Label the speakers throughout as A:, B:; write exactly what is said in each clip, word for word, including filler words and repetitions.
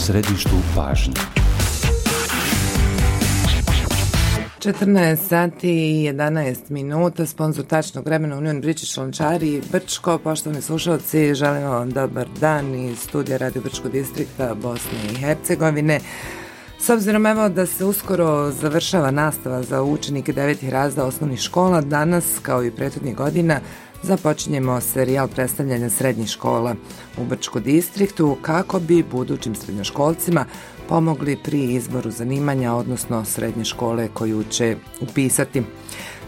A: središtu pažnje.
B: četrnaest sati i jedanaest minuta, sponzor tačnog vremena Union British Lončari i Brčko. Poštovani slušalci, želimo vam dobar dan iz studija Radio Brčko distrikta Bosne i Hercegovine. S obzirom evo da se uskoro završava nastava za učenike devetih razreda osnovnih škola, danas kao i prethodnih godina započinjemo serijal predstavljanja srednjih škola u Brčko distriktu kako bi budućim srednjoškolcima pomogli pri izboru zanimanja, odnosno srednje škole koju će upisati.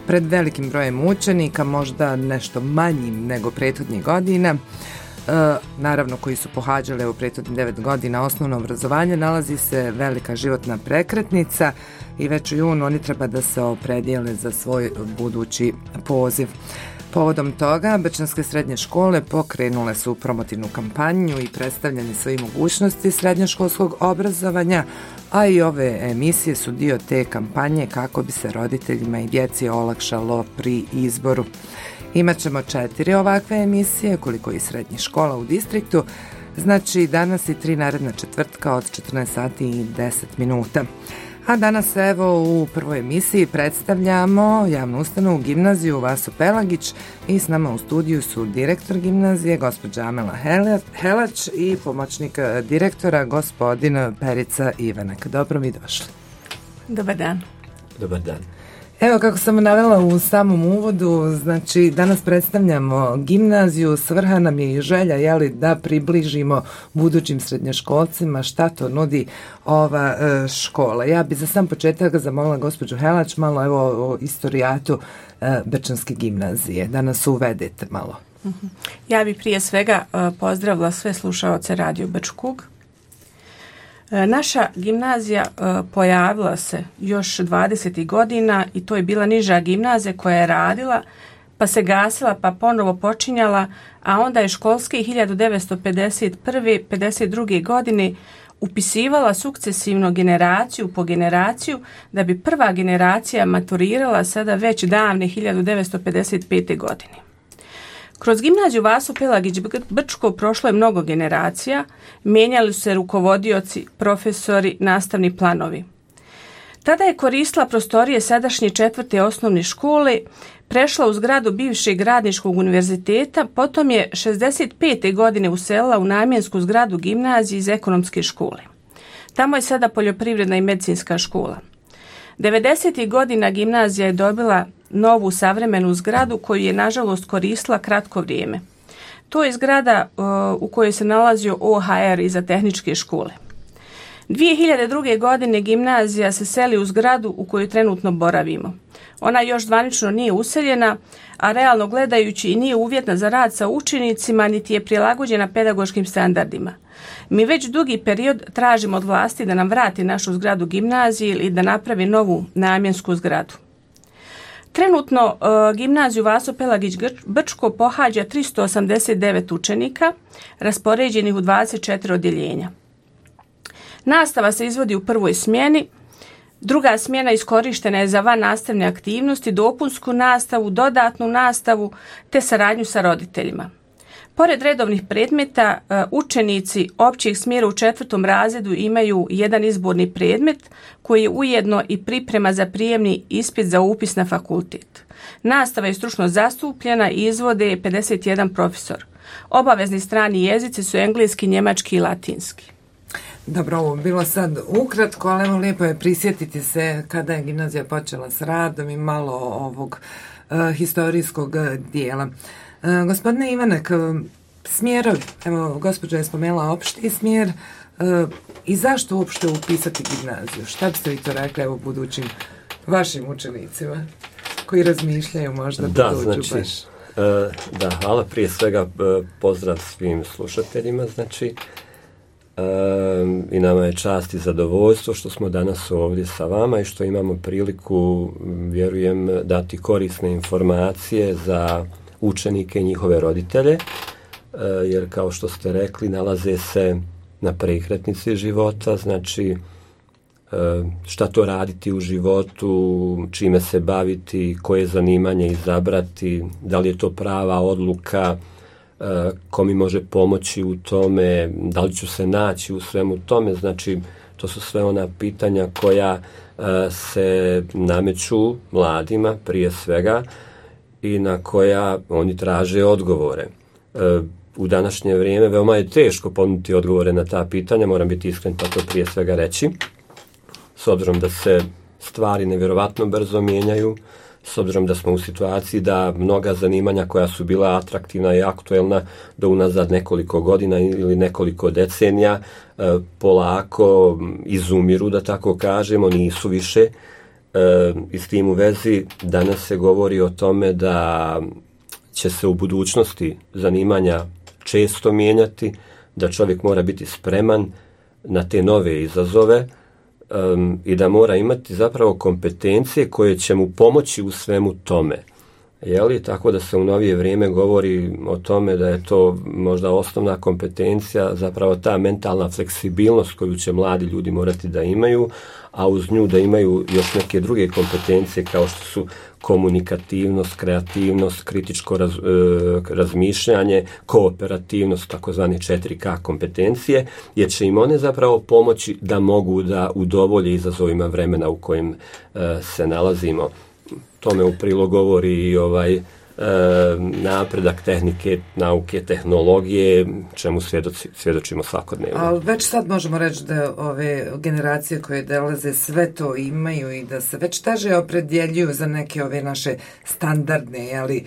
B: Pred velikim brojem učenika, možda nešto manjim nego prethodnih godina, e, naravno koji su pohađali u prethodnih devet godina osnovno obrazovanje, nalazi se velika životna prekretnica i već u junu oni treba da se opredijele za svoj budući poziv. Povodom toga, brčanske srednje škole pokrenule su promotivnu kampanju i predstavljanje svojih mogućnosti srednjoškolskog obrazovanja, a i ove emisije su dio te kampanje kako bi se roditeljima i djeci olakšalo pri izboru. Imaćemo četiri ovakve emisije, koliko i srednjih škola u distriktu, znači danas i tri naredna četvrtka od četrnaest sati i deset minuta. A danas evo u prvoj emisiji predstavljamo javnu ustanovu gimnaziju Vaso Pelagić i s nama u studiju su direktor gimnazije gospođa Amela Helać i pomoćnik direktora gospodin Perica Ivanak. Dobro mi došli.
C: Dobar dan.
D: Dobar dan.
B: Evo kako sam navela u samom uvodu, znači danas predstavljamo gimnaziju, svrha nam je i želja jeli, da približimo budućim srednjoškolcima šta to nudi ova e, škola. Ja bi za sam početak zamolila gospođu Helać malo evo o istorijatu e, Brčanske gimnazije, da nas uvedete malo.
C: Ja bi prije svega e, pozdravila sve slušaoce Radio Brčkog. Naša gimnazija pojavila se još dvadesetih godina i to je bila niža gimnazija koja je radila, pa se gasila, pa ponovo počinjala, a onda je školski hiljadu devetsto pedeset prve pedeset druge godine upisivala sukcesivno generaciju po generaciju da bi prva generacija maturirala sada već davne hiljadu devetsto pedeset pete godine. Kroz gimnaziju Vaso Pelagić Brčko prošlo je mnogo generacija, mijenjali su se rukovodioci, profesori, nastavni planovi. Tada je koristila prostorije sadašnje četvrte osnovne škole, prešla u zgradu bivšeg Radničkog univerziteta, potom je šezdeset pete godine uselila u namjensku zgradu gimnazije iz ekonomske škole. Tamo je sada poljoprivredna i medicinska škola. devedesetih godina gimnazija je dobila novu savremenu zgradu koju je nažalost koristila kratko vrijeme. To je zgrada uh, u kojoj se nalazio O H R iza tehničke škole. dvije hiljade druge. godine gimnazija se seli u zgradu u kojoj trenutno boravimo. Ona još zvanično nije useljena, a realno gledajući i nije uvjetna za rad sa učenicima, niti je prilagođena pedagoškim standardima. Mi već dugi period tražimo od vlasti da nam vrati našu zgradu gimnazije ili da napravi novu namjensku zgradu. Trenutno uh, gimnaziju Vaso Pelagić Brčko pohađa tristo osamdeset devet učenika, raspoređenih u dvadeset četiri odjeljenja. Nastava se izvodi u prvoj smjeni, druga smjena iskorištena je za van nastavne aktivnosti, dopunsku nastavu, dodatnu nastavu te saradnju sa roditeljima. Pored redovnih predmeta, učenici općeg smjera u četvrtom razredu imaju jedan izborni predmet koji je ujedno i priprema za prijemni ispit za upis na fakultet. Nastava je stručno zastupljena i izvode pedeset jedan profesor. Obavezni strani jezici su engleski, njemački i latinski.
B: Dobro, ovo bilo sad ukratko, ali evo lijepo je prisjetiti se kada je gimnazija počela s radom i malo ovog uh, historijskog dijela. Uh, gospodine Ivanek, smjerovi, evo gospođa je spomenula opšti smjer uh, i zašto uopšte upisati gimnaziju? Šta biste vi to rekli evo budućim vašim učenicima koji razmišljaju možda
D: da,
B: buduću
D: znači,
B: baš?
D: Uh, da, hvala prije svega uh, pozdrav svim slušateljima, znači uh, i nama je čast i zadovoljstvo što smo danas ovdje sa vama i što imamo priliku, vjerujem, dati korisne informacije za učenike i njihove roditelje, jer kao što ste rekli nalaze se na prekretnici života, znači šta to raditi u životu, čime se baviti, koje zanimanje izabrati, da li je to prava odluka, ko mi može pomoći u tome, da li ću se naći u svemu tome. Znači, to su sve ona pitanja koja se nameću mladima prije svega i na koja oni traže odgovore. U današnje vrijeme veoma je teško ponuditi odgovore na ta pitanja, moram biti iskren pa to prije svega reći, s obzirom da se stvari nevjerovatno brzo mijenjaju, s obzirom da smo u situaciji da mnoga zanimanja koja su bila atraktivna i aktuelna do unazad nekoliko godina ili nekoliko decenija polako izumiru, da tako kažemo, nisu više. I s tim u vezi danas se govori o tome da će se u budućnosti zanimanja često mijenjati, da čovjek mora biti spreman na te nove izazove um, i da mora imati zapravo kompetencije koje će mu pomoći u svemu tome. Jeli? Tako da se u novije vrijeme govori o tome da je to možda osnovna kompetencija, zapravo ta mentalna fleksibilnost koju će mladi ljudi morati da imaju, a uz nju da imaju još neke druge kompetencije kao što su komunikativnost, kreativnost, kritičko raz, e, razmišljanje, kooperativnost, takozvane četiri K kompetencije, jer će im one zapravo pomoći da mogu da udovolje izazovima vremena u kojim e, se nalazimo. Tome u prilog govori i ovaj e, napredak tehnike, nauke, tehnologije, čemu svjedoci, svjedočimo svakodnevno.
B: Ali već sad možemo reći da ove generacije koje dolaze sve to imaju i da se već teže opredjeljuju za neke ove naše standardne, jeli,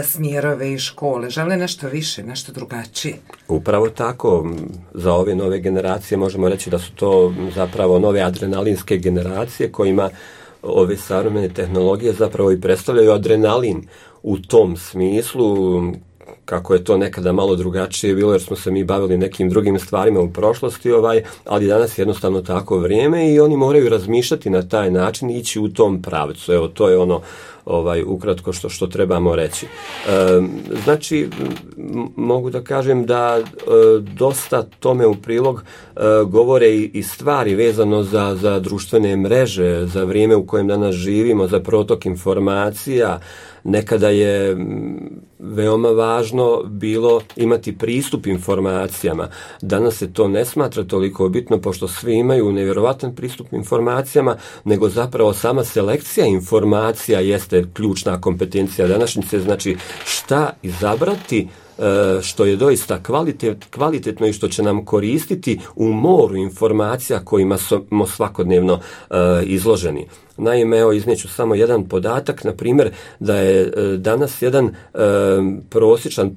B: smjerove i škole. Žele nešto više, nešto drugačije.
D: Upravo tako. Za ove nove generacije možemo reći da su to zapravo nove adrenalinske generacije kojima ove savremene tehnologije zapravo i predstavljaju adrenalin u tom smislu, kako je to nekada malo drugačije bilo jer smo se mi bavili nekim drugim stvarima u prošlosti, ovaj, ali danas je jednostavno tako vrijeme i oni moraju razmišljati na taj način i ići u tom pravcu. Evo, to je ono ovaj ukratko što što trebamo reći. E, znači m- mogu da kažem da e, dosta tome u prilog e, govore i, i stvari vezano za za društvene mreže, za vrijeme u kojem danas živimo, za protok informacija. Nekada je veoma važno bilo imati pristup informacijama. Danas se to ne smatra toliko bitno, pošto svi imaju nevjerovatan pristup informacijama, nego zapravo sama selekcija informacija jeste ključna kompetencija današnjice. Znači, šta izabrati što je doista kvalitet, kvalitetno i što će nam koristiti u moru informacija kojima smo svakodnevno uh, izloženi. Naime, evo iznijeću samo jedan podatak, na primjer da je uh, danas jedan uh, prosječan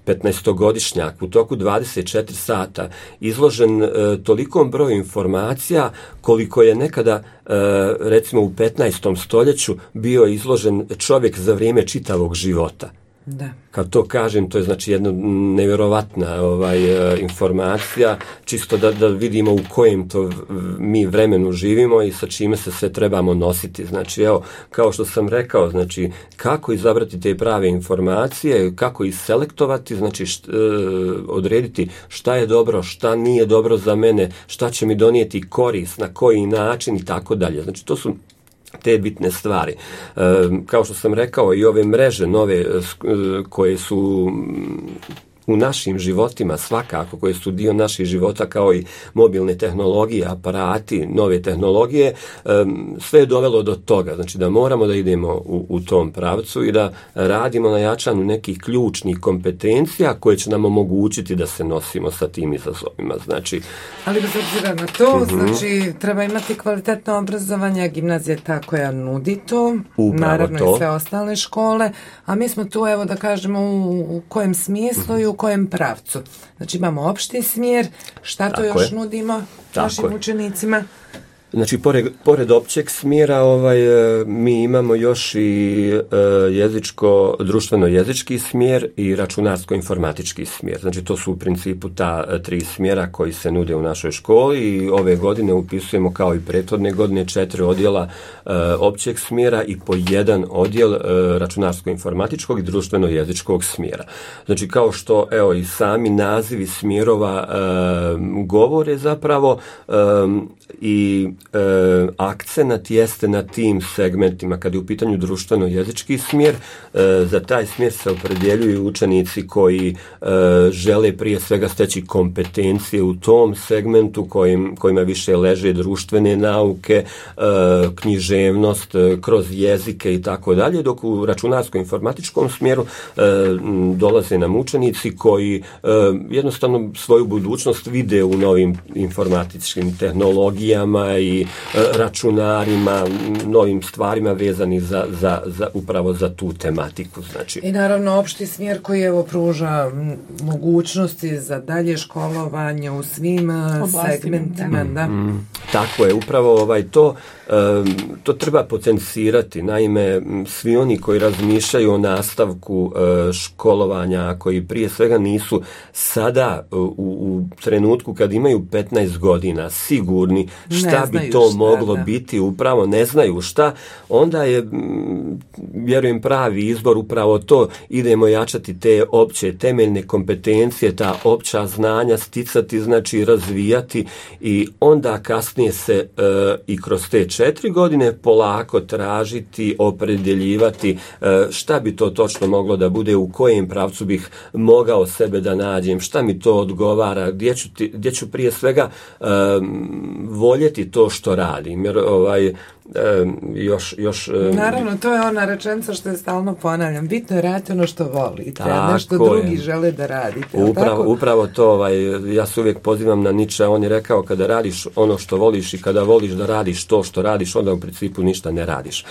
D: petnaestogodišnjak u toku dvadeset četiri sata izložen uh, tolikom broju informacija koliko je nekada uh, recimo u petnaestom stoljeću bio izložen čovjek za vrijeme čitavog života.
B: Da.
D: Kad to kažem, to je znači jedna nevjerovatna ovaj, informacija, čisto da, da vidimo u kojem to mi vremenu živimo i sa čime se sve trebamo nositi. Znači, evo, kao što sam rekao, znači, kako izabrati te prave informacije, kako ih selektovati, znači, št, e, odrediti šta je dobro, šta nije dobro za mene, šta će mi donijeti korist, na koji način i tako dalje. Znači, to su te bitne stvari. E, kao što sam rekao, i ove mreže nove koje su u našim životima svakako, koje su dio naših života, kao i mobilne tehnologije, aparati, nove tehnologije, sve je dovelo do toga, znači da moramo da idemo u, u tom pravcu i da radimo na jačanju nekih ključnih kompetencija koje će nam omogućiti da se nosimo sa tim izazovima. Znači,
B: ali bez obzira na to, uh-huh. znači treba imati kvalitetno obrazovanje, gimnazija je ta koja nudi to,
D: upravo
B: naravno
D: to.
B: I sve ostale škole, a mi smo tu, evo da kažemo, u, u kojem smislu uh-huh. i u kojem pravcu. Znači imamo opšti smjer, šta to tako još je. Nudimo
D: tako
B: našim je. Učenicima?
D: Znači, pored, pored općeg smjera ovaj, mi imamo još i e, jezičko, društveno-jezički smjer i računarsko-informatički smjer. Znači, to su u principu ta tri smjera koji se nude u našoj školi i ove godine upisujemo kao i prethodne godine četiri odjela e, općeg smjera i po jedan odjel e, računarsko-informatičkog i društveno-jezičkog smjera. Znači, kao što evo i sami nazivi smjerova e, govore zapravo e, i e, akcenat jeste na tim segmentima. Kad je u pitanju društveno-jezički smjer, e, za taj smjer se opredjeljuju učenici koji e, žele prije svega steći kompetencije u tom segmentu kojim, kojima više leže društvene nauke, e, književnost, e, kroz jezike i tako dalje, dok u računarsko-informatičkom smjeru e, dolaze nam učenici koji e, jednostavno svoju budućnost vide u novim informatičkim tehnologijama i e, računarima, novim stvarima vezanih za, za, za, upravo za tu tematiku. Znači.
B: I naravno opšti smjer koji evo pruža mogućnosti za dalje školovanje u svim oblastima, segmentima. Da.
D: Mm, mm, tako je, upravo ovaj, to, um, to treba potencirati. Naime, svi oni koji razmišljaju o nastavku uh, školovanja, koji prije svega nisu sada uh, u, u trenutku kad imaju petnaest godina sigurni šta bi to šta, moglo da. biti, upravo ne znaju šta, onda je, vjerujem, pravi izbor upravo to, idemo jačati te opće temeljne kompetencije, ta opća znanja sticati, znači razvijati i onda kasnije se e, i kroz te četiri godine polako tražiti, opredjeljivati e, šta bi to točno moglo da bude, u kojem pravcu bih mogao sebe da nađem, šta mi to odgovara, gdje ću, ti, gdje ću prije svega e, voljeti to što radim, jer ovaj E, još, još,
B: naravno, to je ona rečenica što je stalno ponavljam, bitno je raditi ono što volite, a nešto drugi je. žele da radite.
D: Upravo, upravo to, ovaj, ja se uvijek pozivam na Nietzsche, on je rekao kada radiš ono što voliš i kada voliš da radiš to što radiš, onda u principu ništa ne radiš. E,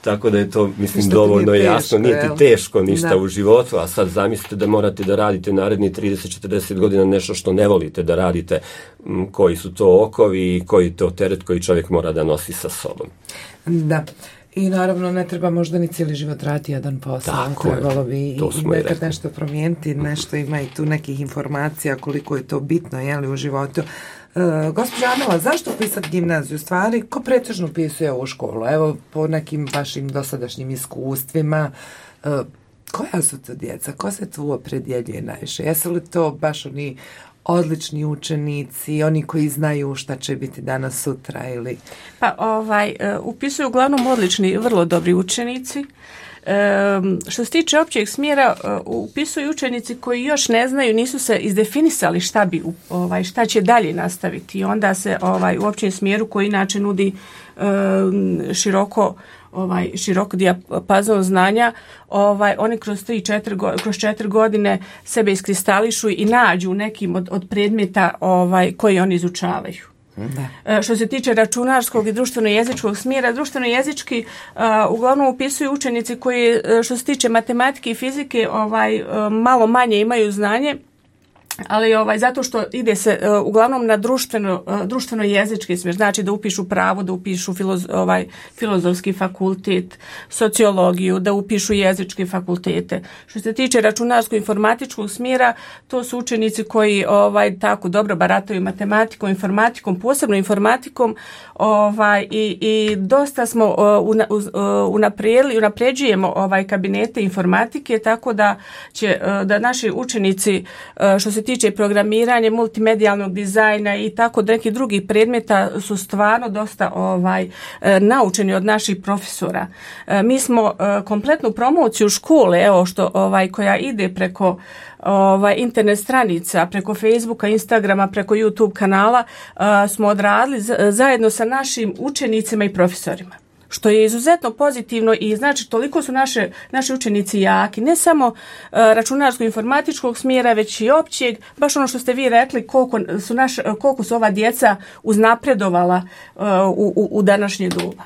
D: tako da je to, mislim, ništa dovoljno teško, jasno, nije ti teško ništa da. u životu, a sad zamislite da morate da radite naredni trideset četrdeset godina nešto što ne volite da radite, m, koji su to okovi i koji to teret koji čovjek mora da nosi sa sobom.
B: Da. I naravno ne treba možda ni cijeli život raditi jedan posao.
D: Tako
B: trebalo bi
D: i,
B: i nekad nešto promijeniti, nešto ima i tu nekih informacija koliko je to bitno, jeli, u životu. Uh, gospođa Amela, zašto upisati gimnaziju? Stvari, ko pretežno upisuje ovu školu? Evo, po nekim vašim dosadašnjim iskustvima, uh, koja su to djeca? Ko se tu opredjeljuje najviše? Jesu li to baš oni odlični učenici, oni koji znaju šta će biti danas sutra ili...
C: Pa ovaj, upisuju uglavnom odlični, vrlo dobri učenici. E, što se tiče općeg smjera, upisuju učenici koji još ne znaju, nisu se izdefinisali šta bi, ovaj, šta će dalje nastaviti. I onda se ovaj, u općem smjeru koji inače nudi e, široko ovaj širok dijapazon znanja, ovaj oni kroz tri četiri kroz četiri godine sebe iskristališu i nađu nekim od, od predmeta ovaj koji oni izučavaju. Da. Što se tiče računarskog i društveno-jezičkog smjera, društveno-jezički uh, uglavnom upisuju učenici koji, što se tiče matematike i fizike, ovaj uh, malo manje imaju znanje, ali ovaj zato što ide se uh, uglavnom na društveno uh, društveno jezički smjer, znači da upišu pravo, da upišu filoz, ovaj filozofski fakultet, sociologiju, da upišu jezičke fakultete. Što se tiče računarsko-informatičkog smjera, to su učenici koji ovaj tako dobro barataju matematikom, informatikom, posebno informatikom, ovaj i, i dosta smo uh, una, uh, unaprijedili, unapređujemo ovaj kabinete informatike, tako da će uh, da naši učenici uh, što se tiče programiranja, multimedijalnog dizajna i tako nekih drugih predmeta su stvarno dosta ovaj e, naučeni od naših profesora. E, mi smo e, kompletnu promociju škole, evo što ovaj koja ide preko ovaj internet stranica, preko Facebooka, Instagrama, preko YouTube kanala, e, smo odradili z- zajedno sa našim učenicima i profesorima. Što je izuzetno pozitivno i znači toliko su naše, naši učenici jaki, ne samo uh, računarsko-informatičkog smjera, već i općeg, baš ono što ste vi rekli, koliko su, naš, koliko su ova djeca uznapredovala uh, u, u, u današnje doba.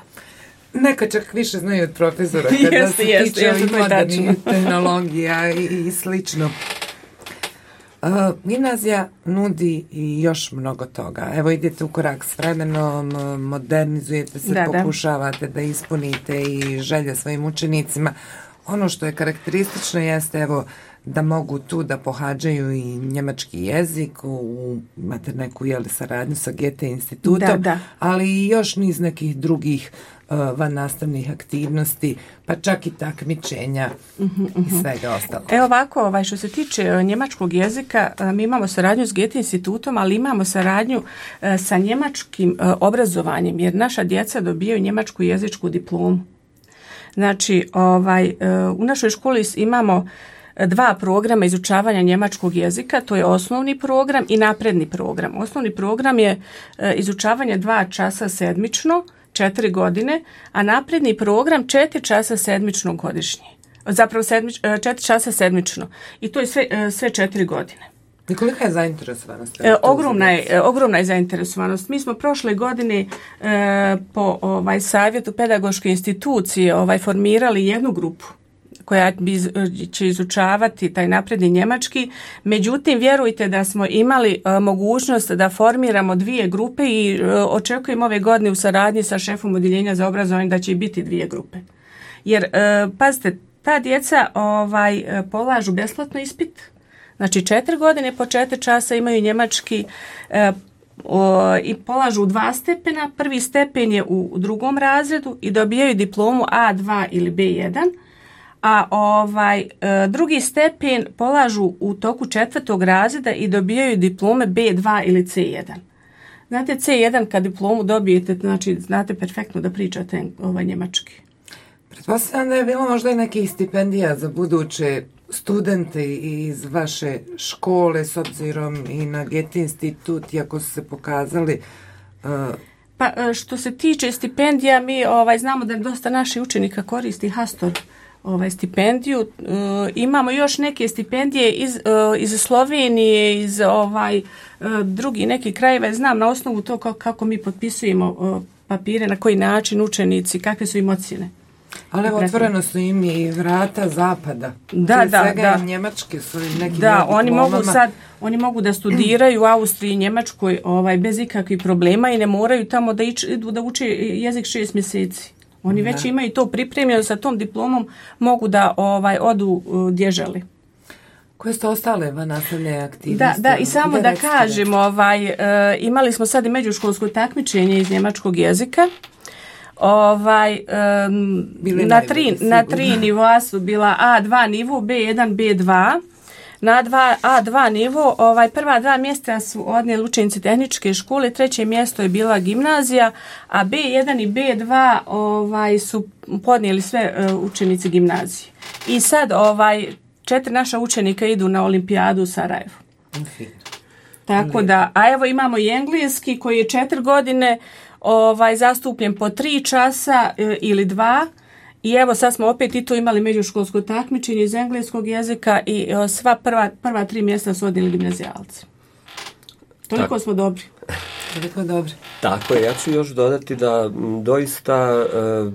B: Neka čak više znaju od profesora kada jeste, se jeste, tiče ovih modernih tehnologija i, i slično. Uh, gimnazija nudi i još mnogo toga. Evo idete u korak s vremenom, modernizujete se, da, pokušavate da. da ispunite i želje svojim učenicima. Ono što je karakteristično jeste evo da mogu tu da pohađaju i njemački jezik, u, imate neku jeli, saradnju sa Goethe institutom, da, da. ali i još niz nekih drugih van nastavnih aktivnosti, pa čak i takmičenja uh-huh, uh-huh. i svega ostalo.
C: Evo ovako, ovaj, što se tiče njemačkog jezika, mi imamo saradnju s Goethe institutom, ali imamo saradnju sa njemačkim obrazovanjem, jer naša djeca dobijaju njemačku jezičku diplomu. Znači, ovaj, u našoj školi imamo dva programa izučavanja njemačkog jezika, to je osnovni program i napredni program. Osnovni program je izučavanje dva časa sedmično, četiri godine, a napredni program četiri časa sedmično godišnje. Zapravo sedmič, četiri časa sedmično. I to je sve, sve četiri godine.
B: I kolika je zainteresovanost?
C: E, ogromna, je, ogromna je zainteresovanost. Mi smo prošle godine e, po ovaj, savjetu pedagoške institucije ovaj, formirali jednu grupu koja bi, će izučavati taj napredni njemački. Međutim, vjerujte da smo imali e, mogućnost da formiramo dvije grupe i e, očekujemo ove godine u saradnji sa šefom odjeljenja za obrazovanje da će biti dvije grupe. Jer, e, pazite, ta djeca ovaj, polažu besplatno ispit. Znači, četiri godine po četiri časa imaju njemački e, o, i polažu dva stepena. Prvi stepen je u, u drugom razredu i dobijaju diplomu A dva ili B jedan. A ovaj e, drugi stepen polažu u toku četvrtog razreda i dobijaju diplome B dva ili C jedan. Znate, C jedan kad diplomu dobijete, znači znate perfektno da pričate ovaj njemački.
B: Pretpostavljam da je bilo možda i nekih stipendija za buduće studente iz vaše škole s obzirom i na Goethe institut, iako su se pokazali... Uh...
C: Pa što se tiče stipendija, mi ovaj, znamo da dosta naših učenika koristi Hastor ovaj, stipendiju. Uh, imamo još neke stipendije iz, uh, iz Slovenije, iz ovaj, uh, drugi neki krajeva. Znam na osnovu to kako, kako mi potpisujemo uh, papire, na koji način učenici, kakve su im ocjene.
B: Ali otvoreno su im i vrata zapada.
C: Da,
B: Prije
C: da,
B: svega
C: da.
B: Njemačke su im neki
C: Da, oni
B: diplomama.
C: mogu sad, oni mogu da studiraju u Austriji i Njemačkoj ovaj, bez ikakvih problema i ne moraju tamo da idu da uče jezik šest mjeseci. Oni da. već imaju to pripremljeno, sa tom diplomom mogu da ovaj, odu gdje žele.
B: Koje su ostale vannastavne aktivnosti?
C: Da, da, i samo da kažem, ovaj, uh, imali smo sad i međuškolsko takmičenje iz njemačkog jezika. Ovaj, um, na, tri, na tri nivoa su bila A dva nivo, B jedan, B dva. Na dva, A dva nivo ovaj, prva dva mjesta su odnijeli učenici tehničke škole, treće mjesto je bila gimnazija, a B jedan i B dva ovaj, su podnijeli sve uh, učenici gimnazije. I sad ovaj, četiri naša učenika idu na olimpijadu u Sarajevu.
B: Okay.
C: Tako da, a evo imamo i engleski koji je četiri godine ovaj zastupljen po tri časa e, ili dva i evo sad smo opet i to imali međuškolsko takmičenje iz engleskog jezika i e, sva prva, prva tri mjesta su odnijeli gimnazijalci. Toliko Tako. smo dobri.
B: Toliko dobri.
D: Tako je, ja ću još dodati da m, doista e,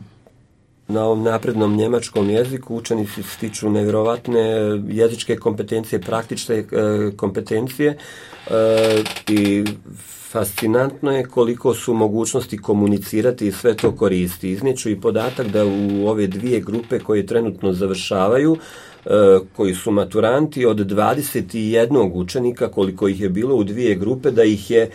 D: na ovom naprednom njemačkom jeziku učenici stiču nevjerovatne jezičke kompetencije, praktične e, kompetencije e, i fascinantno je koliko su mogućnosti komunicirati i sve to koristi. Iznijeću i podatak da u ove dvije grupe koje trenutno završavaju, koji su maturanti, od dvadeset jedan učenika koliko ih je bilo u dvije grupe, da ih je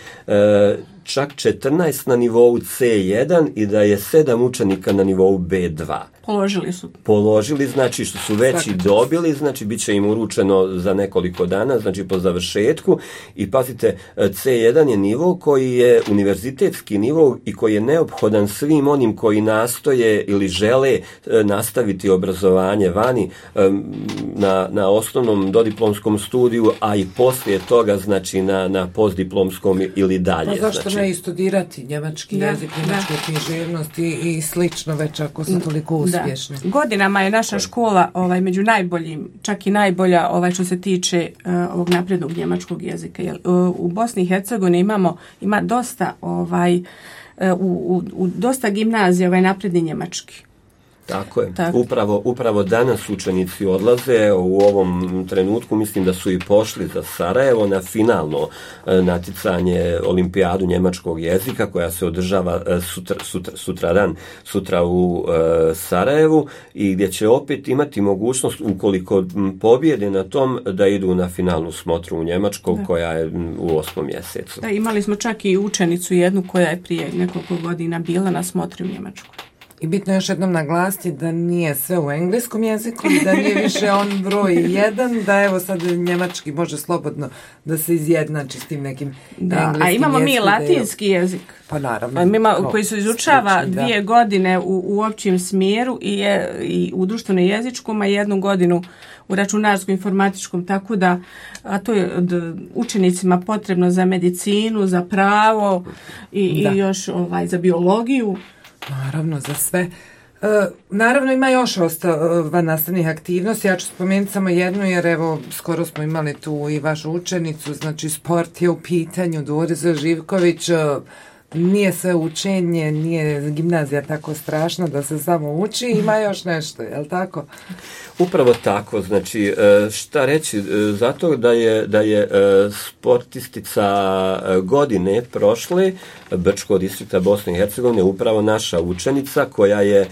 D: čak četrnaest na nivou C jedan i da je sedam učenika na nivou B dva.
C: Položili su.
D: Položili, znači što su već i dobili, znači bit će im uručeno za nekoliko dana, znači po završetku. I pazite, C jedan je nivo koji je univerzitetski nivo i koji je neophodan svim onim koji nastoje ili žele nastaviti obrazovanje vani na, na osnovnom dodiplomskom studiju, a i poslije toga, znači na, na postdiplomskom ili dalje.
B: Pa zašto
D: znači,
B: ne i studirati njemački
C: da,
B: jezik, njemačku književnost i, i slično već ako su toliko uspješni.
C: Da. Godinama je naša škola ovaj, među najboljim, čak i najbolja ovaj, što se tiče uh, ovog naprednog njemačkog jezika. Jer, uh, u Bosni i Hercegovini imamo, ima dosta, ovaj, uh, u, u, u dosta gimnazija ovaj napredni njemački.
D: Tako je. Tako. Upravo, upravo danas učenici odlaze, u ovom trenutku mislim da su i pošli za Sarajevo na finalno e, naticanje olimpijadu njemačkog jezika koja se održava e, sutra, sutra, sutra dan, sutra u e, Sarajevu i gdje će opet imati mogućnost ukoliko pobjede na tom da idu na finalnu smotru u Njemačkog da. koja je u osmom mjesecu.
C: Da, imali smo čak i učenicu jednu koja je prije nekoliko godina bila na smotri u Njemačkoj.
B: I bitno je još jednom naglasiti da nije sve u engleskom jeziku i da nije više on broj jedan, da evo sad njemački može slobodno da se izjednači s tim nekim
C: da,
B: engleskim
C: a imamo mi
B: jeziku,
C: latinski
B: je,
C: jezik.
B: Pa naravno.
C: Mima, koji se izučava
B: stručni,
C: dvije
B: da.
C: godine u, u općem smjeru i, je, i u društvenom jezičkom, a jednu godinu u računarskom informatičkom, tako da a to je d, učenicima potrebno za medicinu, za pravo i, i još ovaj, za biologiju.
B: Naravno, za sve. E, naravno, ima još ostava nastavnih aktivnosti. Ja ću spomenuti samo jednu, jer evo, skoro smo imali tu i vašu učenicu, znači sport je u pitanju, Dorica Živković. Nije sve učenje, nije gimnazija tako strašna da se samo uči, ima još nešto, je li tako?
D: Upravo tako, znači šta reći, zato da je, da je sportistica godine prošle Brčkog distrikta Bosne i Hercegovine upravo naša učenica koja je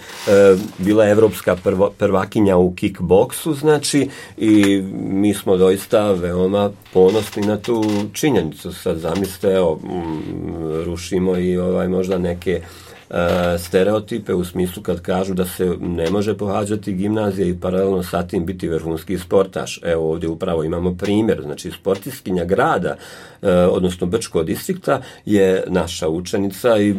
D: bila evropska prvo, prvakinja u kickboksu, znači i mi smo doista veoma ponosni na tu činjenicu. Sad zamislite, evo, rušimo i ovaj možda neke stereotipe u smislu kad kažu da se ne može pohađati gimnazija i paralelno sa tim biti vrhunski sportaš. Evo ovdje upravo imamo primjer, znači sportistkinja grada, odnosno Brčkog distrikta je naša učenica i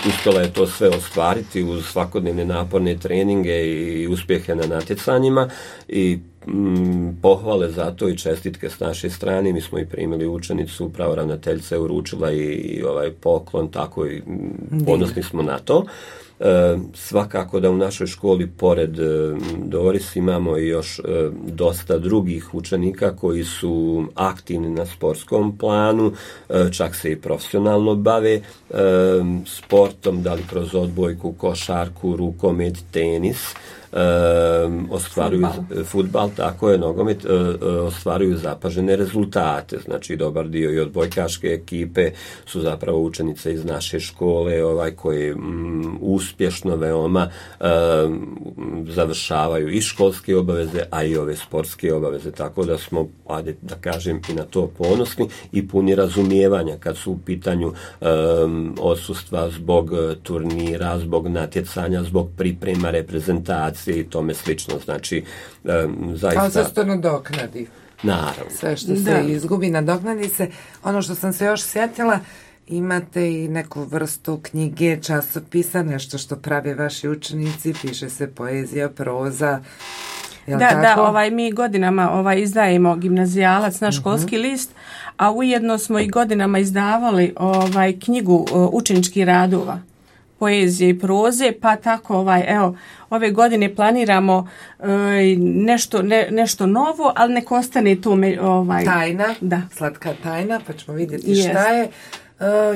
D: uspjela je to sve ostvariti uz svakodnevne naporne treninge i uspjehe na natjecanjima i Mm, pohvale za to i čestitke s naše strane. Mi smo i primili učenicu, upravo ravnateljica je uručila i, i ovaj poklon, tako i mm, ponosni smo na to. E, svakako da u našoj školi pored e, Doris imamo i još e, dosta drugih učenika koji su aktivni na sportskom planu, e, čak se i profesionalno bave e, sportom, da li kroz odbojku, košarku, rukomet, tenis. Um, ostvaruju fudbal, tako je, nogomet, uh, uh, ostvaruju zapažene rezultate, znači dobar dio i odbojkaške ekipe su zapravo učenice iz naše škole, ovaj koji um, uspješno veoma um, završavaju i školske obaveze, a i ove sportske obaveze, tako da smo, ajde da kažem, i na to ponosni i puni razumijevanja kad su u pitanju um, odsustva zbog turnira, zbog natjecanja, zbog priprema reprezentacije i tome slično, znači um, zaista...
B: Ali se to nadoknadi.
D: Naravno.
B: Sve što
C: da.
B: se izgubi, nadoknadi se. Ono što sam se još sjetila, imate i neku vrstu knjige, časopisa, nešto što prave vaši učenici, piše se poezija, proza. Jel
C: da,
B: tako?
C: da, ovaj, mi godinama ovaj, izdajemo gimnazijalac, naš školski uh-huh. list, a ujedno smo i godinama izdavali ovaj, knjigu uh, učeničkih radova, poezije i proze, pa tako ovaj, evo, ove godine planiramo e, nešto, ne, nešto novo, ali nek ostane to me, ovaj,
B: tajna,
C: da.
B: Slatka tajna, pa ćemo vidjeti
C: Yes.
B: šta je. E,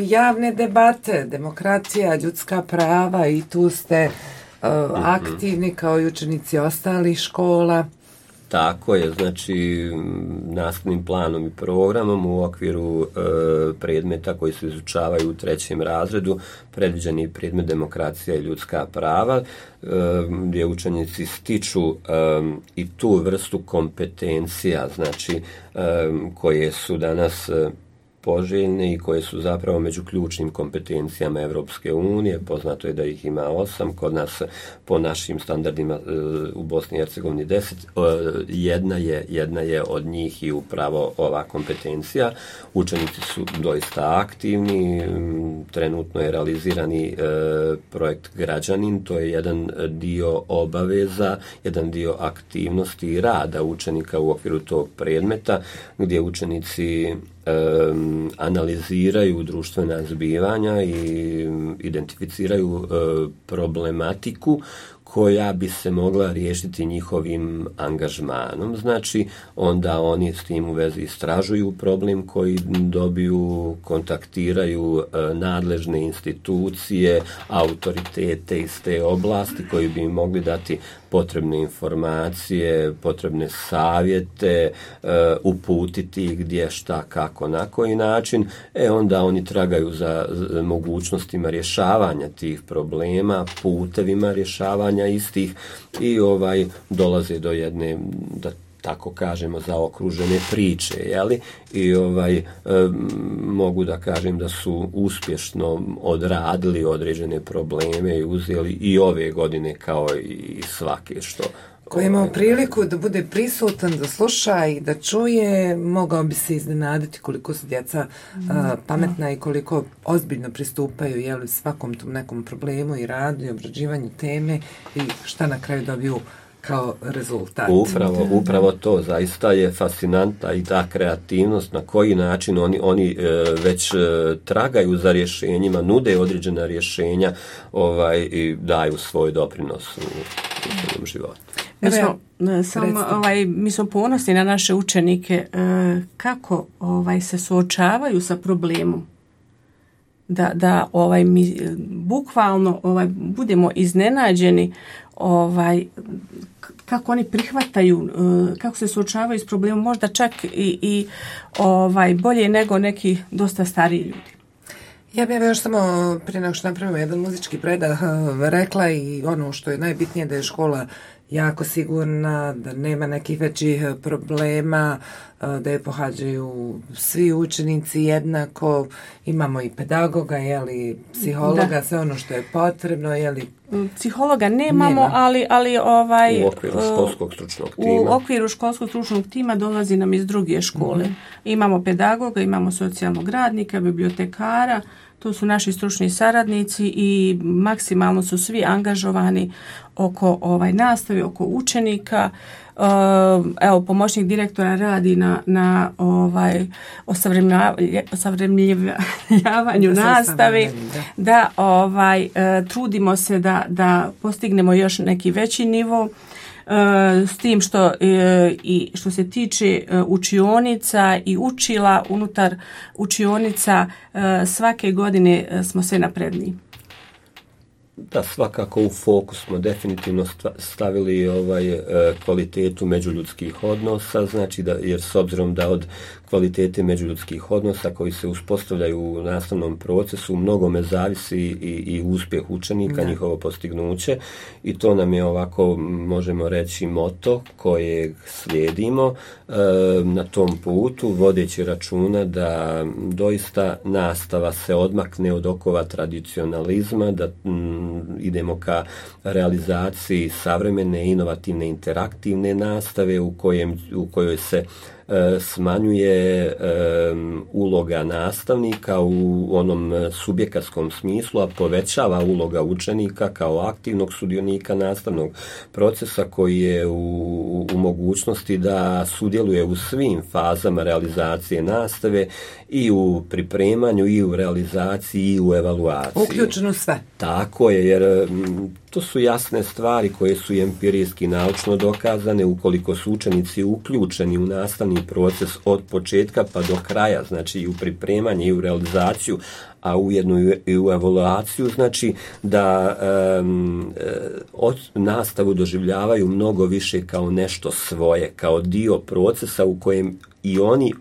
B: javne debate, demokracija, ljudska prava i tu ste e, aktivni kao i učenici ostalih škola.
D: Tako je, znači nastavnim planom i programom u okviru e, predmeta koji se izučavaju u trećem razredu predviđeni predmet demokracija i ljudska prava, e, gdje učenici stiču e, i tu vrstu kompetencija, znači e, koje su danas e, poželjne i koje su zapravo među ključnim kompetencijama Evropske unije. Poznato je da ih ima osam, kod nas po našim standardima u Bosni i Hercegovini deset. Jedna je, jedna je od njih i upravo ova kompetencija. Učenici su doista aktivni, trenutno je realizirani projekt Građanin, to je jedan dio obaveza, jedan dio aktivnosti i rada učenika u okviru tog predmeta, gdje učenici Um, analiziraju društvena zbivanja i identificiraju uh, problematiku koja bi se mogla riješiti njihovim angažmanom. Znači, onda oni s tim u vezi istražuju problem koji dobiju, kontaktiraju uh, nadležne institucije, autoritete iz te oblasti koji bi im mogli dati potrebne informacije, potrebne savjete, uh, uputiti gdje, šta, kako, na koji način. E onda oni tragaju za, za mogućnostima rješavanja tih problema, putevima rješavanja istih i ovaj dolaze do jedne, da tako kažemo, zaokružene priče, jeli? I ovaj, e, mogu da kažem da su uspješno odradili određene probleme i uzeli i ove godine kao i svake što...
B: Ko je imao priliku da bude prisutan, da sluša i da čuje, mogao bi se iznenaditi koliko su djeca mm. a, pametna i koliko ozbiljno pristupaju jeli, svakom tom nekom problemu i radu i obrađivanju teme i šta na kraju dobiju kao rezultat.
D: Upravo, upravo to, zaista je fascinantna i ta kreativnost na koji način oni, oni e, već e, tragaju za rješenjima, nude određena rješenja ovaj, i daju svoj doprinos u, u svom životu.
C: Mi smo, samo, ovaj, mi smo ponosni na naše učenike e, kako ovaj, se suočavaju sa problemom. Da, da ovaj, mi bukvalno ovaj, budemo iznenađeni ovaj, kako oni prihvataju, kako se suočavaju s problemom, možda čak i, i ovaj, bolje nego neki dosta stariji ljudi.
B: Ja bih još samo prije nego što napravimo jedan muzički predah rekla i ono što je najbitnije da je škola jako sigurna, da nema nekih većih problema, da je pohađaju svi učenici jednako, imamo i pedagoga, jeli, psihologa, da. Sve ono što je potrebno, jeli.
C: Psihologa nemamo, nema. ali, ali ovaj...
D: U okviru školskog stručnog tima.
C: U okviru školskog stručnog tima dolazi nam iz druge škole. Mm-hmm. Imamo pedagoga, imamo socijalnog radnika, bibliotekara, to su naši stručni saradnici i maksimalno su svi angažovani oko ovaj nastave, oko učenika. Uh, evo, pomoćnik direktora radi na, na ovaj osavremenjavanju nastave, da, da ovaj, uh, trudimo se da, da postignemo još neki veći nivo. Uh, s tim što, uh, i što se tiče uh, učionica i učila unutar učionica uh, svake godine uh, smo sve napredniji.
D: Da, svakako u fokus smo definitivno stavili ovaj kvalitetu međuljudskih odnosa, znači da, jer s obzirom da od kvalitete međuljudskih odnosa koji se uspostavljaju u nastavnom procesu u mnogome zavisi i, i uspjeh učenika, da. Njihovo postignuće i to nam je ovako, možemo reći, moto kojeg slijedimo e, na tom putu, vodeći računa da doista nastava se odmakne od okova tradicionalizma, da m, idemo ka realizaciji savremene, inovativne, interaktivne nastave u, kojem, u kojoj se e, smanjuje e, uloga nastavnika u onom subjekatskom smislu, a povećava uloga učenika kao aktivnog sudionika nastavnog procesa koji je u, u, u mogućnosti da sudjeluje u svim fazama realizacije nastave i u pripremanju, i u realizaciji, i u evaluaciji.
B: Uključeno sve.
D: Tako je, jer m, to su jasne stvari koje su empirijski naučno dokazane ukoliko su učenici uključeni u nastavni proces od početka pa do kraja, znači i u pripremanje i u realizaciju, a ujedno i u evaluaciju, znači da um, od nastavu doživljavaju mnogo više kao nešto svoje, kao dio procesa u kojem i oni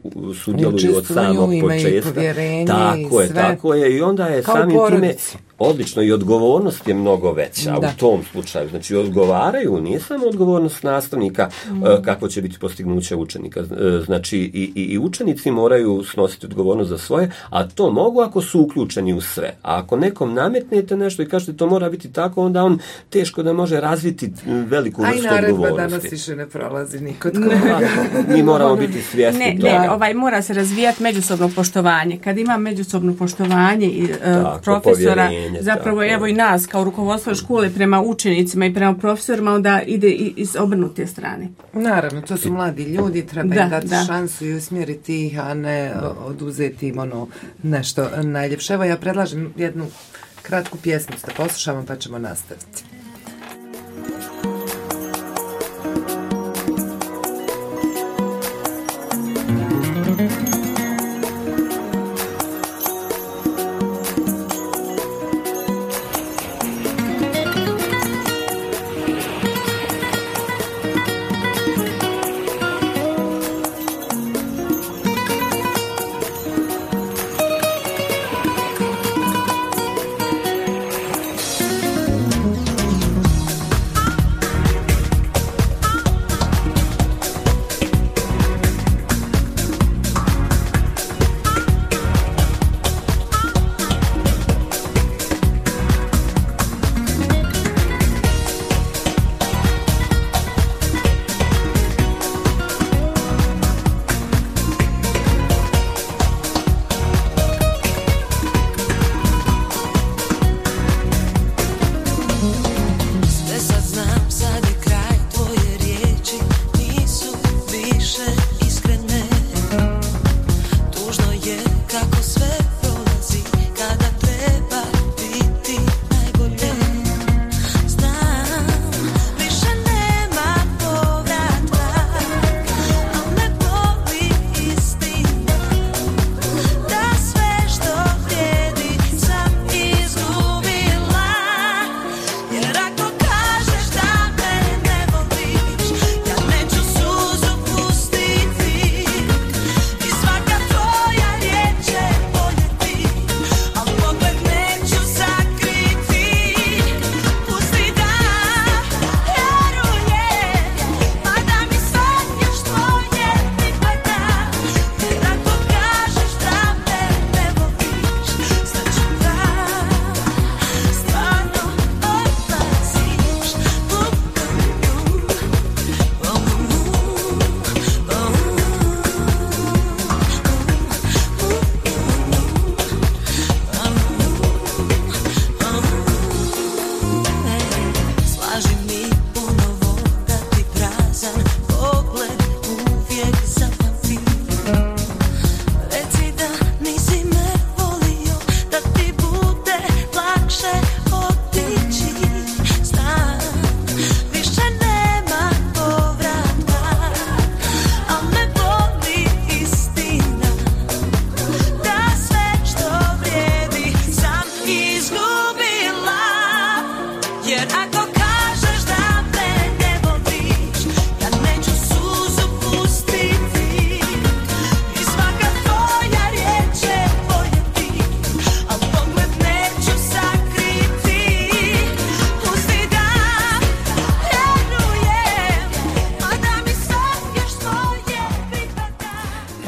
D: sudjeluju od samog početka. Tako je, tako je. I onda je kao samim time odlično i odgovornost je mnogo veća da. U tom slučaju. Znači odgovaraju, nije samo odgovornost nastavnika mm. kako će biti postignuće učenika. Znači i, i, i učenici moraju snositi odgovornost za svoje, a to mogu ako su uključeni u sve. A ako nekom nametnete nešto i kažete to mora biti tako, onda on teško da može razviti veliku vrstu odgovornosti. Aj naredba danas
B: više ne prolazi nikod koga.
D: Mi moramo biti svjesni.
C: Ne, ne, ovaj, mora se razvijati međusobno poštovanje. Kad ima međusobno poštovanje i uh, tako, profesora, zapravo tako. Evo i nas kao rukovodstvo škole prema učenicima i prema profesorima, onda ide i iz obrnute strane.
B: Naravno, to su mladi ljudi, treba im dati da. šansu i usmjeriti ih, a ne da. oduzeti im ono nešto najljepše. Evo ja predlažem jednu kratku pjesmu da poslušamo pa ćemo nastaviti.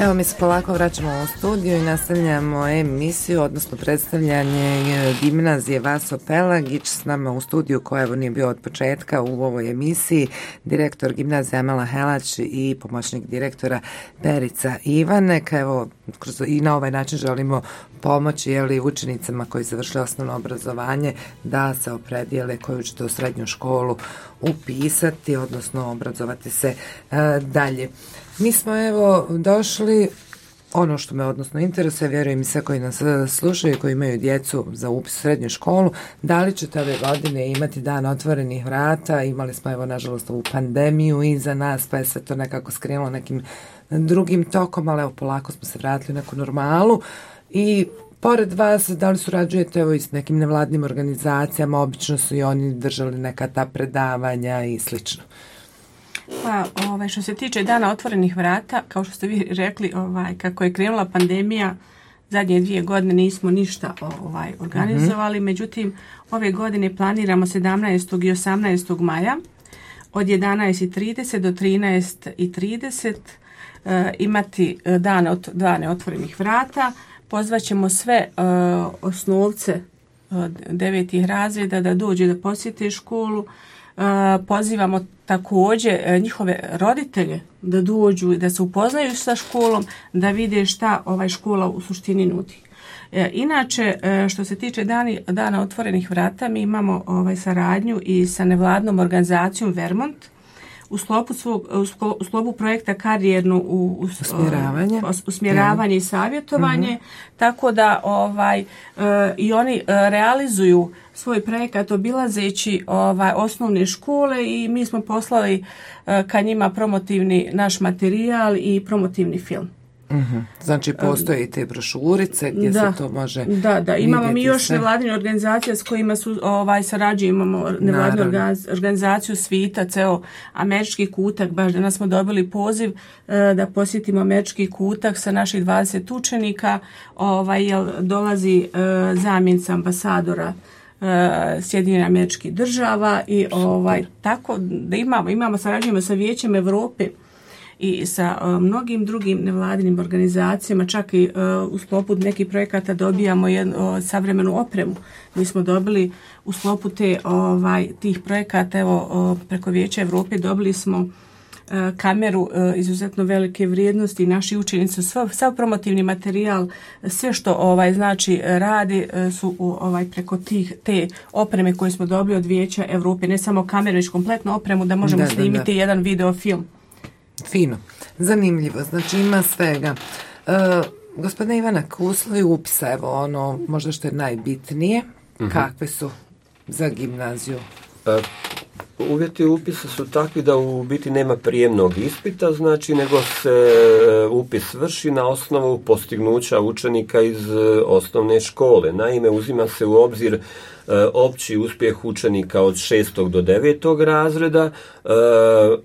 B: Evo mi se polako vraćamo u studiju i nastavljamo emisiju, odnosno predstavljanje gimnazije Vaso Pelagić. S nama u studiju, koja evo nije bio od početka u ovoj emisiji, direktor gimnazije Amela Helać i pomoćnik direktora Perica Ivanek. Evo, kroz, i na ovaj način želimo pomoći jeli, učenicama koji završili osnovno obrazovanje da se opredijele koju ćete u srednju školu upisati, odnosno obrazovati se e, dalje. Mi smo evo došli, ono što me odnosno interesuje, vjerujem i sve koji nas slušaju, koji imaju djecu za upis u srednju školu, da li ćete ove godine imati dan otvorenih vrata? Imali smo evo nažalost ovu pandemiju iza nas, pa je sve to nekako skrenulo nekim drugim tokom, ali evo polako smo se vratili u neku normalu. I pored vas, da li surađujete evo i s nekim nevladnim organizacijama? Obično su i oni držali neka ta predavanja i slično.
C: Pa, ovaj, što se tiče dana otvorenih vrata, kao što ste vi rekli, ovaj, kako je krenula pandemija, zadnje dvije godine nismo ništa ovaj, organizovali, mm-hmm. međutim, ove godine planiramo sedamnaestog i osamnaestog maja od jedanaest i trideset do trinaest i trideset e, imati dane, ot, dane otvorenih vrata. Pozvaćemo sve e, osnovce od devetih razreda da dođe da posjete školu. E, pozivamo također njihove roditelje da dođu i da se upoznaju sa školom, da vide šta ovaj škola u suštini nudi. E, inače, e, što se tiče dani, dana otvorenih vrata, mi imamo ovaj, saradnju i sa nevladnom organizacijom Vermont u sklopu, svog, u sklopu projekta karijerno u, u,
B: usmjeravanje,
C: usmjeravanje i savjetovanje, mm-hmm. tako da ovaj, e, i oni e, realizuju svoj projekat obilazeći ovaj, osnovne škole i mi smo poslali e, ka njima promotivni naš materijal i promotivni film.
B: Mm-hmm. Znači postoje i te brošurice gdje
C: da,
B: se to može
C: da, da, imamo mi još
B: sve.
C: nevladine organizacije s kojima su ovaj, sarađujemo, imamo nevladinu organizaciju Svita, ceo američki kutak, baš danas smo dobili poziv uh, da posjetimo američki kutak sa naših dvadeset učenika, ovaj, jel, dolazi uh, zamjenica ambasadora uh, Sjedinjenih Američkih Država i ovaj, tako da imamo, imamo sarađujemo sa Vijećem Europe i sa uh, mnogim drugim nevladinim organizacijama, čak i uh, u sklopu nekih projekata dobijamo jednu uh, savremenu opremu. Mi smo dobili u sklopu te, ovaj, tih projekata, evo uh, preko Vijeća Europe dobili smo uh, kameru uh, izuzetno velike vrijednosti. Naši učenici sav, sav promotivni materijal, sve što ovaj znači radi uh, su uh, ovaj preko tih te opreme koje smo dobili od Vijeća Europe, ne samo kameru, već kompletnu opremu da možemo da, snimiti da, da. jedan video film.
B: Fino, zanimljivo, znači ima svega. E, gospodine Ivanak, uslovi upisa, evo ono možda što je najbitnije, mm-hmm. kakve su za gimnaziju?
D: E, uvjeti upisa su takvi da u biti nema prijemnog ispita, znači nego se upis vrši na osnovu postignuća učenika iz osnovne škole. Naime, uzima se u obzir opći uspjeh učenika od šestog do devetog razreda,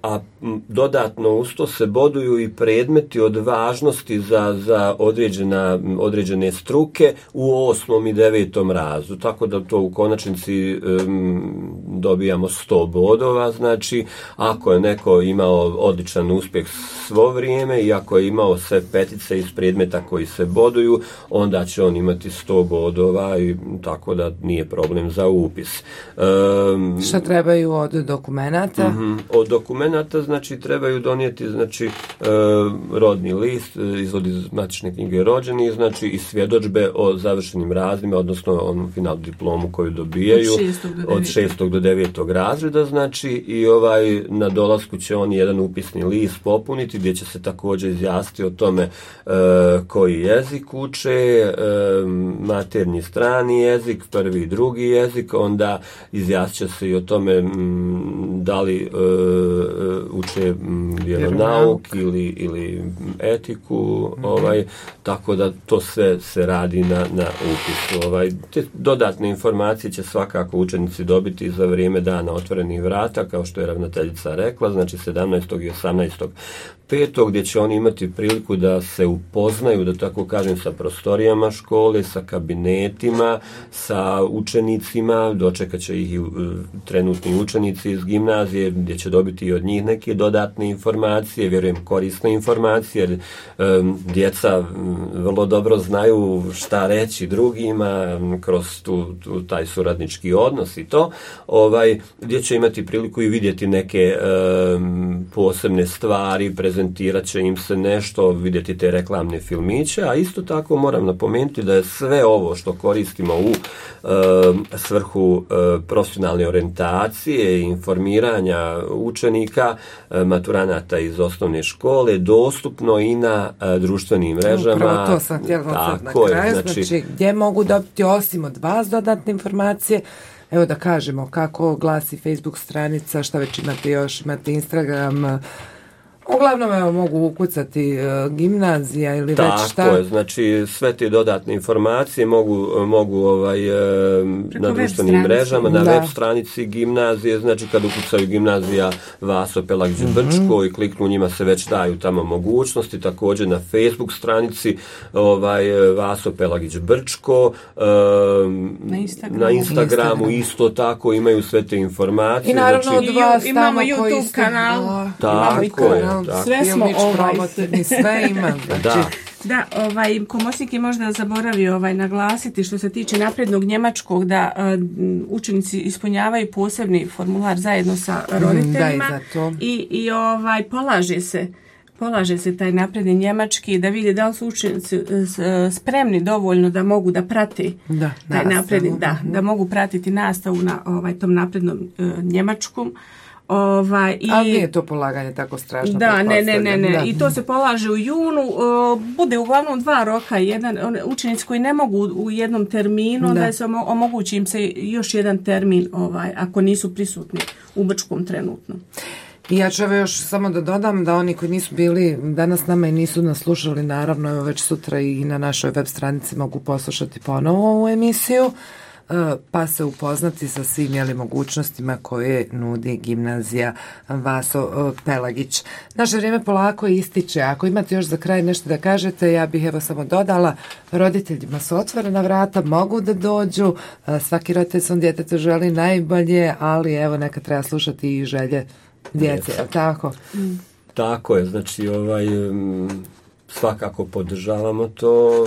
D: a dodatno uz to se boduju i predmeti od važnosti za, za određena, određene struke u osmom i devetom razredu, tako da to u konačnici um, dobijamo sto bodova, znači ako je neko imao odličan uspjeh svo vrijeme i ako je imao sve petice iz predmeta koji se boduju, onda će on imati sto bodova i tako da nije problem za upis. Um,
B: Šta trebaju od dokumenata?
D: Uh-huh. Od dokumenata znači trebaju donijeti znači uh, rodni list, izvod iz matične knjige rođenih, znači i svjedodžbe o završenim razredima, odnosno onu finalnu diplomu koju dobijaju od šestog do devetog razreda, znači i ovaj na dolasku će on jedan upisni list popuniti gdje će se također izjasniti o tome uh, koji jezik uče, uh, maternji strani jezik, prvi i drugi jezik, onda izjasnit će se i o tome m, da li uh, uče m, vjeronauk ili, ili etiku, mm-hmm. ovaj, tako da to sve se radi na, na upisu. Ovaj, te dodatne informacije će svakako učenici dobiti za vrijeme dana otvorenih vrata, kao što je ravnateljica rekla, znači sedamnaestog i osamnaestog petog gdje će oni imati priliku da se upoznaju, da tako kažem, sa prostorijama škole, sa kabinetima, sa učenicima, dočekat će ih i trenutni učenici iz gimnazije, gimnazije, gdje će dobiti i od njih neke dodatne informacije, vjerujem korisne informacije, jer um, djeca um, vrlo dobro znaju šta reći drugima um, kroz tu, tu, taj suradnički odnos i to, ovaj, gdje će imati priliku i vidjeti neke um, posebne stvari, prezentirat će im se nešto, vidjeti te reklamne filmiće, a isto tako moram napomenuti da je sve ovo što koristimo u um, svrhu um, profesionalne orijentacije i informiranja učenika, um, maturanata iz osnovne škole, dostupno i na uh, društvenim mrežama.
B: Upravo to sam htjela sad na kraju, znači, znači gdje mogu dobiti osim od vas dodatne informacije. Evo da kažemo kako glasi Facebook stranica, šta već imate još, imate Instagram. Uglavnom, evo, mogu ukucati uh, gimnazija ili
D: tako
B: već šta.
D: Tako je, znači sve te dodatne informacije mogu, mogu ovaj, uh, na društvenim mrežama, na da. web stranici gimnazije, znači kad ukucaju gimnazija Vaso Pelagić mm-hmm. Brčko i kliknu, njima se već daju tamo mogućnosti, također na Facebook stranici ovaj, Vaso Pelagić Brčko, uh,
C: na Instagramu,
D: na Instagramu isto tako imaju sve te informacije.
B: I naravno
D: znači,
B: od vas
C: imamo
B: tamo
C: YouTube
B: koji
C: kanal,
D: tako je.
C: Da. Sve smo ovaj
B: sve ima. Znači.
D: Da.
C: Da, ovaj komosnik je možda zaboravio ovaj naglasiti što se tiče naprednog njemačkog da uh, učenici ispunjavaju posebni formular zajedno sa roditeljima
B: mm,
C: i i ovaj polaže se polaže se taj napredni njemački da vidi da li su učenici spremni dovoljno da mogu da prati
B: da,
C: taj napredni, da, da mogu pratiti nastavu na ovaj tom naprednom uh, njemačkom. Ovaj, i,
B: ali nije to polaganje tako strašno.
C: Da, ne, ne, ne, ne. I to se polaže u junu. Uh, bude uglavnom dva roka. Jedan, učenici koji ne mogu u jednom terminu, da, da se omogući im se još jedan termin ovaj, ako nisu prisutni u Brčkom trenutno.
B: I ja ću još samo da dodam da oni koji nisu bili danas nama i nisu nas slušali, naravno evo već sutra i na našoj web stranici mogu poslušati ponovo ovu emisiju, pa se upoznati sa svim jeli, mogućnostima koje nudi gimnazija Vaso Pelagić. Naše vrijeme polako ističe. Ako imate još za kraj nešto da kažete, ja bih evo samo dodala, roditeljima su otvorena vrata, mogu da dođu, svaki roditelj svom djetetu želi najbolje, ali evo neka treba slušati i želje djece, je tako?
C: Mm.
D: Tako je, znači ovaj... svakako podržavamo to,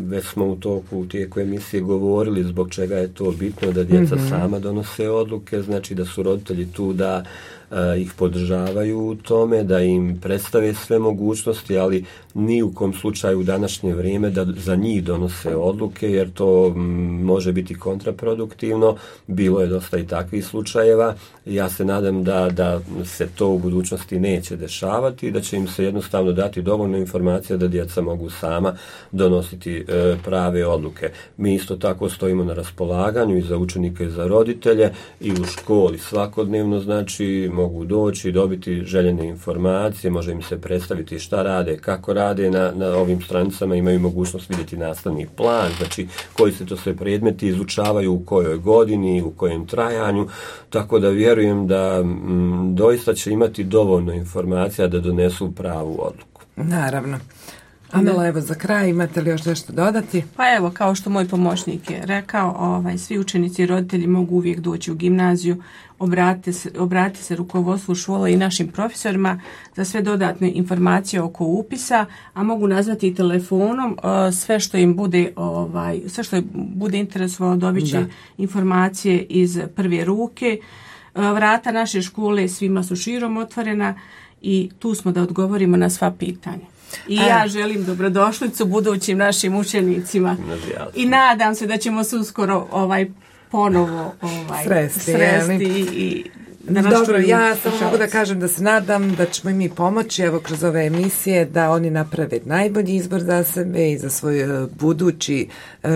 D: već smo u toku u tijeku emisije govorili zbog čega je to bitno da djeca mm-hmm. sama donose odluke, znači da su roditelji tu da uh, ih podržavaju u tome, da im predstave sve mogućnosti, ali ni u kom slučaju u današnje vrijeme da za njih donose odluke, jer to m, može biti kontraproduktivno. Bilo je dosta i takvih slučajeva. Ja se nadam da, da se to u budućnosti neće dešavati i da će im se jednostavno dati dovoljno informacija da djeca mogu sama donositi e, prave odluke. Mi isto tako stojimo na raspolaganju i za učenike i za roditelje i u školi svakodnevno, znači mogu doći i dobiti željene informacije, može im se predstaviti šta rade, kako rade na, na ovim stranicama, imaju mogućnost vidjeti nastavni plan, znači koji se to sve predmeti izučavaju, u kojoj godini, u kojem trajanju, tako da vjerujem da m, doista će imati dovoljno informacija da donesu pravu odluku.
B: Naravno. Amela, evo za kraj, imate li još nešto dodati?
C: Pa evo, kao što moj pomoćnik je rekao, ovaj, svi učenici i roditelji mogu uvijek doći u gimnaziju, obratite se, obratite se rukovodstvu škole i našim profesorima za sve dodatne informacije oko upisa, a mogu nazvati i telefonom, uh, sve što im bude, ovaj, sve što im bude interesovalo dobit će da. informacije iz prve ruke. Uh, vrata naše škole svima su širom otvorena i tu smo da odgovorimo na sva pitanja. I A. ja želim dobrodošlicu budućim našim učenicima i nadam se da ćemo se uskoro ovaj ponovo ovaj
B: sresti,
C: sresti i
B: dobro, ja samo mogu da kažem da se nadam da ćemo i mi pomoći evo kroz ove emisije da oni naprave najbolji izbor za sebe i za svoj budući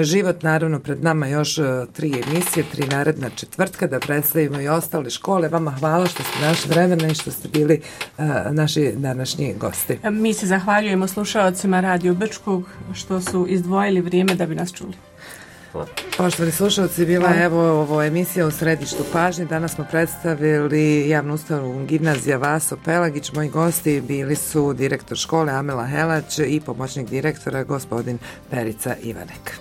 B: život. Naravno pred nama još tri emisije, tri naredna četvrtka da predstavimo i ostale škole. Vama hvala što ste našli vremena i što ste bili uh, naši današnji gosti.
C: Mi se zahvaljujemo slušaocima Radio Brčkog što su izdvojili vrijeme da bi nas čuli.
B: Poštovani slušalci, bila je evo ovo emisija u središtu pažnje. Danas smo predstavili javnu ustanovu gimnazija Vaso Pelagić. Moji gosti bili su direktor škole Amela Helać i pomoćnik direktora gospodin Perica Ivanek.